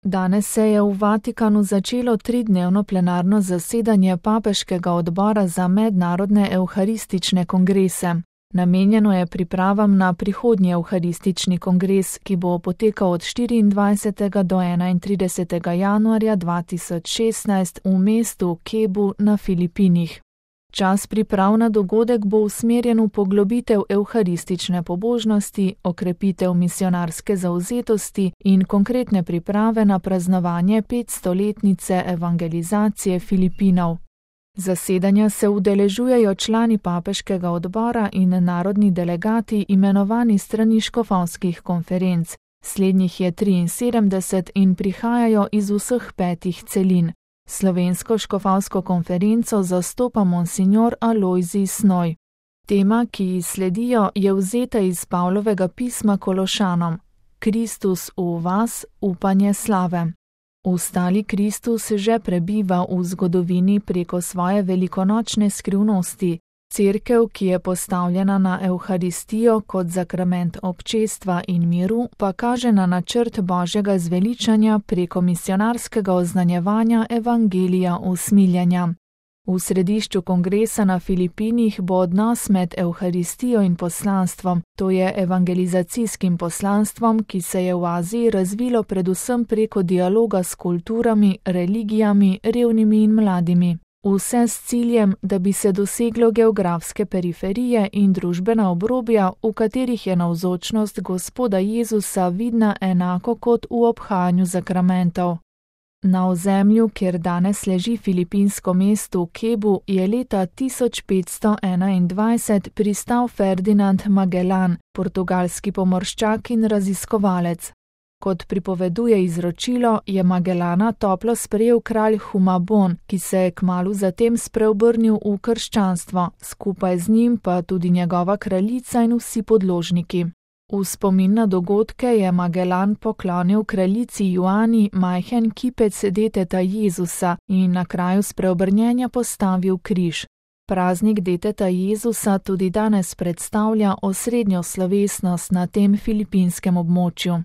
Danes se je v Vatikanu začelo 3-dnevno plenarno zasedanje Papeškega odbora za mednarodne evharistične kongrese. Namenjeno je pripravam na prihodnji evharistični kongres, ki bo potekal od 24. do 31. januarja 2016 v mestu Cebu na Filipinih. Čas priprav na dogodek bo usmerjen v poglobitev evharistične pobožnosti, okrepitev misionarske zavzetosti in konkretne priprave na praznovanje 500-letnice evangelizacije Filipinov. Zasedanja se udeležujejo člani Papeškega odbora in narodni delegati imenovani strani škofovskih konferenc. Slednjih je 73 in prihajajo iz vseh 5 celin. Slovensko škofovsko konferenco zastopa monsignor Alojzij Snoj. Tema, ki ji sledijo, je vzeta iz Pavlovega pisma Kološanom: Kristus v vas, upanje slave. Ustali Kristus že prebiva v zgodovini preko svoje velikonočne skrivnosti. Cerkev, ki je postavljena na evharistijo kot sakrament občestva in miru, pa kaže na načrt Božjega zveličanja preko misionarskega oznanjevanja evangelija usmiljenja. V središču kongresa na Filipinih bo odnos med evharistijo in poslanstvom, to je evangelizacijskim poslanstvom, ki se je v Aziji razvilo predvsem preko dialoga s kulturami, religijami, revnimi in mladimi. Vse s ciljem, da bi se doseglo geografske periferije in družbena obrobja, v katerih je navzočnost Gospoda Jezusa vidna enako kot v obhajanju sakramentov. Na ozemlju, kjer danes leži filipinsko mesto Cebu, je leta 1521 pristal Ferdinand Magellan, portugalski pomorščak in raziskovalec. Kot pripoveduje izročilo, je Magellana toplo sprejel kralj Humabon, ki se je kmalu zatem spreobrnil v krščanstvo, skupaj z njim pa tudi njegova kraljica in vsi podložniki. V spomin na dogodke je Magellan poklonil kraljici Juani majhen kipec deteta Jezusa in na kraju spreobrnjenja postavil križ. Praznik deteta Jezusa tudi danes predstavlja osrednjo slovesnost na tem filipinskem območju.